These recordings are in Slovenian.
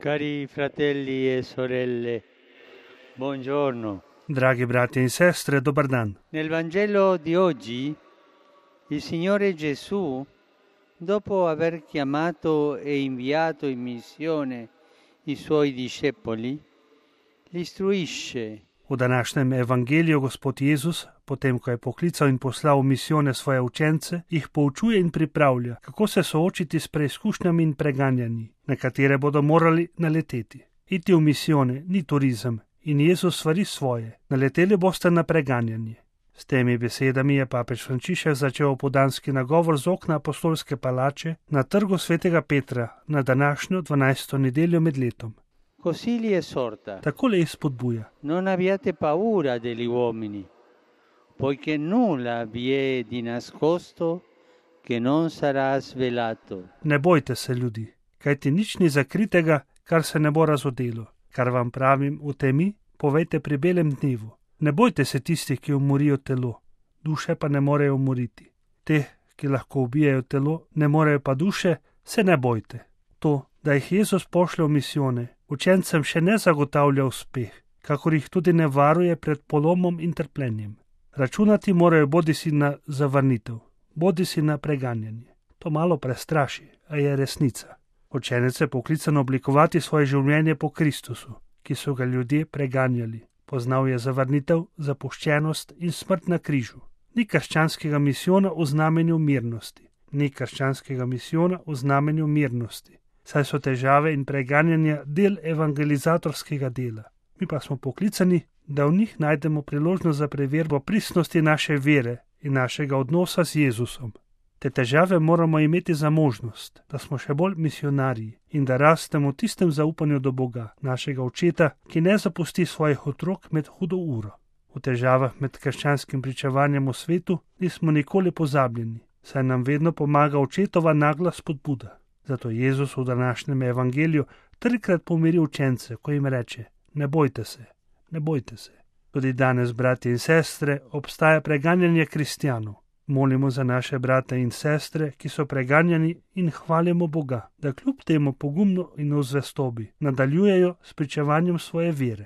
Cari fratelli e sorelle, buongiorno. Dragi brati e sestre, dobar dan. Nel Vangelo di oggi, il Signore Gesù, dopo aver chiamato e inviato in missione i Suoi discepoli, li istruisce. V današnjem evangeliju Gospod Jezus, potem ko je poklical in poslal v misijone svoje učence, jih poučuje in pripravlja, kako se soočiti s preizkušnjami in preganjanji, na katere bodo morali naleteti. Iti v misijone ni turizem in Jezus svari svoje, naleteli boste na preganjanje. S temi besedami je papež Frančišek začel opoldanski nagovor z okna apostolske palače na trgu svetega Petra na današnjo 12. nedeljo med letom. Così li esorta. Takole jih spodbuja. Non abbiate paura degli uomini, poiché nulla vi è di nascosto che non sarà svelato. Ne bojte se, ljudi, kajti nič ni zakritega, kar se ne bo razodelo. Kar vam pravim v temi, povejte pri belem dnevu. Ne bojte se tistih, ki umorijo telo, duše pa ne morejo umoriti. Teh, ki lahko ubijajo telo, ne morejo pa duše, se ne bojte. To, da jih Jezus pošlje v misijone, učencem še ne zagotavlja uspeh, kakor jih tudi ne varuje pred polomom in trpljenjem. Računati morajo bodisi na zavrnitev, bodisi na preganjanje. To malo prestraši, a je resnica. Učenec je poklican oblikovati svoje življenje po Kristusu, ki so ga ljudje preganjali. Poznal je zavrnitev, zapuščenost in smrt na križu. Ni krščanskega misijona v znamenju mirnosti. Ni krščanskega misijona v znamenju mirnosti. Saj so težave in preganjanja del evangelizatorskega dela. Mi pa smo poklicani, da v njih najdemo priložnost za preverbo pristnosti naše vere in našega odnosa z Jezusom. Te težave moramo imeti za možnost, da smo še bolj misionarji in da rastemo v tistem zaupanju do Boga, našega očeta, ki ne zapusti svojih otrok med hudo uro. V težavah med krščanskim pričevanjem v svetu nismo nikoli pozabljeni, saj nam vedno pomaga očetova nagla spodbuda. Zato Jezus v današnjem evangeliju trikrat pomiri učence, ko jim reče: ne bojte se, ne bojte se. Tudi danes, brati in sestre, obstaja preganjanje kristjanov. Molimo za naše brate in sestre, ki so preganjani, in hvalimo Boga, da kljub temu pogumno in v zvestobi nadaljujejo s pričevanjem svoje vere.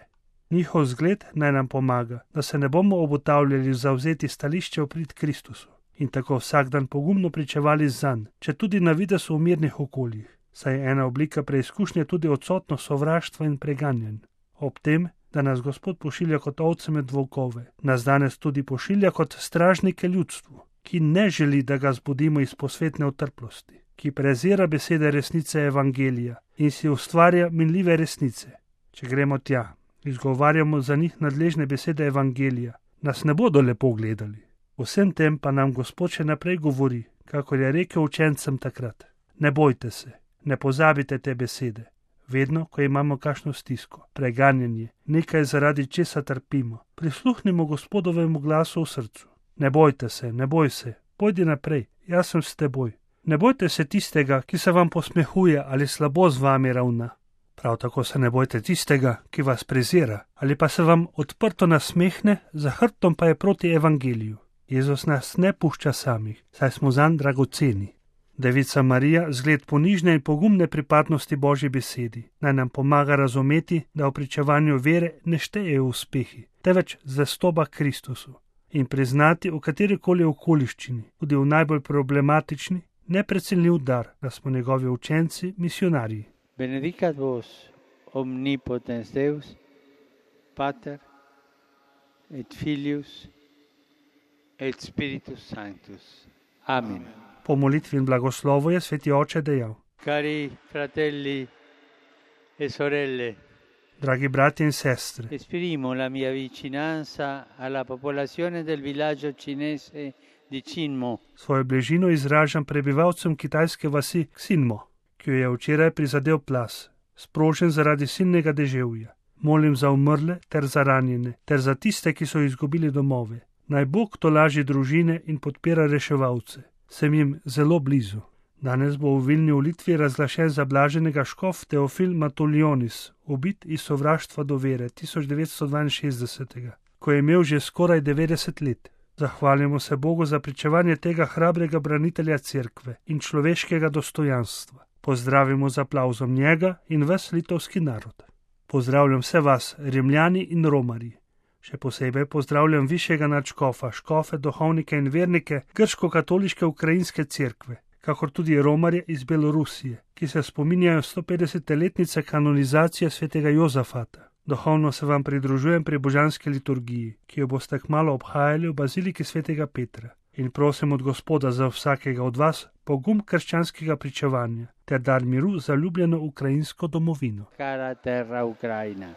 Njihov zgled naj nam pomaga, da se ne bomo obotavljali zavzeti stališče v prid Kristusu in tako vsak dan pogumno pričevali zanj, če tudi na videz v mirnih okoljih, saj je ena oblika preizkušnje tudi odsotnost sovraštva in preganjanj. Ob tem, da nas Gospod pošilja kot ovce med volkove, nas danes tudi pošilja kot stražnike ljudstvu, ki ne želi, da ga zbudimo iz posvetne utrplosti, ki prezira besede resnice evangelija in si ustvarja minljive resnice. Če gremo tja, izgovarjamo za njih nadležne besede evangelija, nas ne bodo lepo gledali. Vsem tem pa nam Gospod še naprej govori, kakor je rekel učencem takrat: ne bojte se, ne pozabite te besede. Vedno, ko imamo kakšno stisko, preganjanje, nekaj zaradi česa trpimo, prisluhnimo Gospodovemu glasu v srcu. Ne bojte se, ne boj se, pojdi naprej, jaz sem s teboj. Ne bojte se tistega, ki se vam posmehuje ali slabo z vami ravna. Prav tako se ne bojte tistega, ki vas prezira ali pa se vam odprto nasmehne, za hrbtom pa je proti evangeliju. Jezus nas ne pušča samih, saj smo zanj dragoceni. Devica Marija, zgled ponižne in pogumne pripadnosti Božji besedi, naj nam pomaga razumeti, da v pričevanju vere ne štejejo uspehi, teveč zvestoba Kristusu in priznati v katerikoli okoliščini, tudi v najbolj problematični, neprecenljiv dar, da smo njegovi učenci, misionarji. Benedicat vos omnipotens Deus, Pater et Filius et Spiritus Sanctus. Amen. Po molitvi in blagoslovu je sveti oče dejal: Cari fratelli e sorelle, dragi brati in sestre, esprimo la mia vicinanza alla popolazione del villaggio cinese di Xinmo. Svojo bližino izražam prebivalcem kitajske vasi Xinmo, ki jo je včeraj prizadel plaz, sprožen zaradi silnega deževja. Molim za umrle ter za ranjene, ter za tiste, ki so izgubili domove. Naj Bog tolaži družine in podpira reševalce. Sem jim zelo blizu. Danes bo v Vilni v Litvi razglašen za blaženega škof Teofil Matuljonis, ubit iz sovraštva do vere 1962, ko je imel že skoraj 90 let. Zahvaljujemo se Bogu za pričevanje tega hrabrega branitelja cerkve in človeškega dostojanstva. Pozdravimo z aplavzom njega in ves litovski narod. Pozdravljam vse vas, Rimljani in Romarji. Še posebej pozdravljam višjega nadškofa, škofe, duhovnike in vernike grško-katoliške ukrajinske cerkve, kakor tudi Romarje iz Belorusije, ki se spominjajo 150-letnice kanonizacije svetega Jozafata. Duhovno se vam pridružujem pri božanski liturgiji, ki jo boste kmalu obhajali v baziliki svetega Petra. In prosim od Gospoda za vsakega od vas pogum krščanskega pričevanja ter dar miru za ljubljeno ukrajinsko domovino. Cara terra Ucraina.